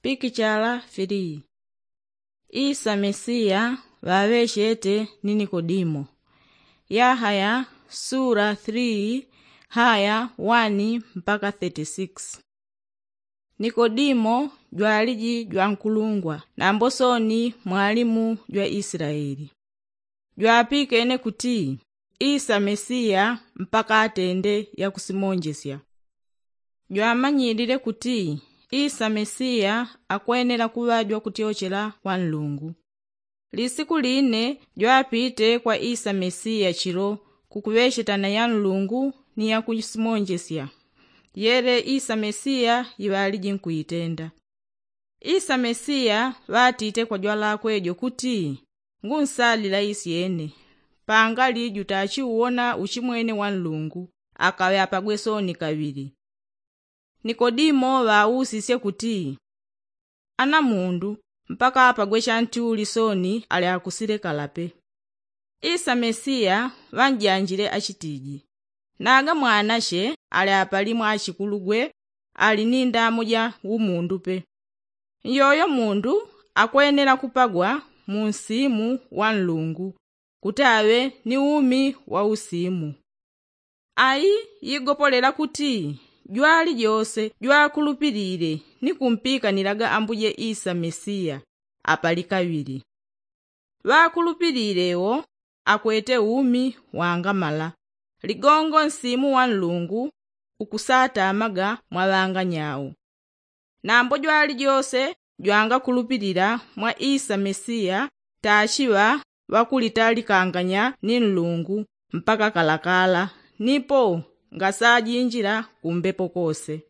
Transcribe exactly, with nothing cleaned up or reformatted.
Pikichala filii. Isa mesiya ŵaŵechete ni nikodimo. Yahaya sula three haya one mpaka thirty six. Nikodimo jwaliji jwankulungwa nambo soni mwalimu jwa isilaeli. Jwapikene kuti isa mesiya mpaka atende yakusimonjesya. Jwamanyilile kuti isa mesiya akwenela kuŵa jwakutyochela kwa nlungu. Lisiku line jwapite kwa isa mesiya chilo kukuŵechetana ya nlungu ni yakusimonjesya yele isa mesiya iŵaliji nkuitenda. Isa mesiya ŵatite kwa jwalakwe jo kuti, ngunsalila isyene pangali jutachiuwona uchimwene wa nlungu akaŵe apagwe soni kaŵili. Nikodimo ŵausisye kuti, ana mundu mpaka apagwe chanti uli soni ali akusilekala pe? Isa mesiya ŵanjanjile achitiji, naga mwanache ali apali mwa achikulugwe ali ni ndamo ja umundu pe. Nyoyo mundu akwenela kupagwa mu nsimu wa nlungu kuti aŵe ni umi wa usimu. Ayi yigopolela kuti jwalijose jwakulupilile ni kumpikanilaga ambuje isa mesiya apali kaŵili. Ŵakulupilile wo akwete umi wangamala ligongo nsimu wa nlungu ukusatamaga mwa ŵanganyau. Nambo jwalijose jwangakulupilila mwa isa mesiya tachiŵa ŵakulitalikanganya ni nlungu mpaka kalakala nipo ngasajinjila kumbepo kose.